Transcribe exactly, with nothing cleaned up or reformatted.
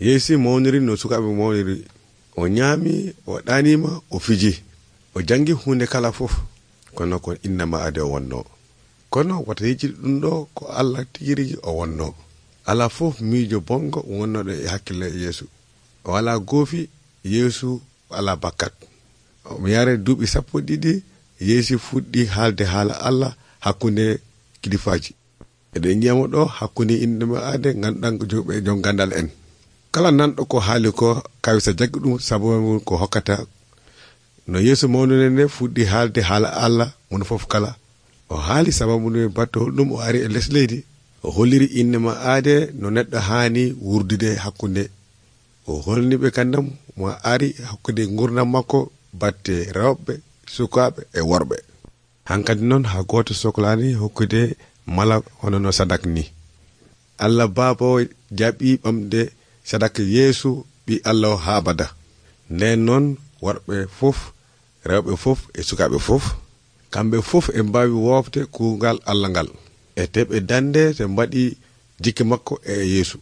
Yeesu mawniri no sukaɓe mawniri. O ñaami, o ɗanima, o fiji, o jangi hunde kala fof kono ko innama ade o wonno. Kono wata yejjiri ɗum ɗo ko Allah tigirigi o wonno. Ala fof miijo bongo wonnoɗo e hakkille Yeesu. O wala goofi, Yeesu ala bakkat. O yare duuɓi sappo ɗiɗi Yeesu fuɗɗi haalde haala Allah hakkunde kilifaji. Eɗen jiyamo ɗo hakkunde innama ade ganduɗan joɓe jon gandal en. Kala nanɗo ko haali ko kawisa jaggi ɗum sabu ko hokkata no Yeesu mawnune nde fuɗɗi haalde haala Allah mun fof kala. O haali sababu nde batte holɗum o ari e les leydi. O holliri innama aade no neɗɗo haani wurdude hakkunde. O holniɓe kandam mo ari hakkunde gurdam makko batte rewɓe, sukaɓe e worɓe. Hankadi noon ha goto sohlani hokkude mala hono no sadak ni. Allah Baaba jaɓi ɓamde sadak Yeesu ɓi Allah o ha bada. Nden noon worɓe fof, rewɓe fof e sukaɓe fof, kamɓe fof e mbawi wofde kuugal Allah ngal e teɓe dande te mbaɗi jikke makko e Yeesu.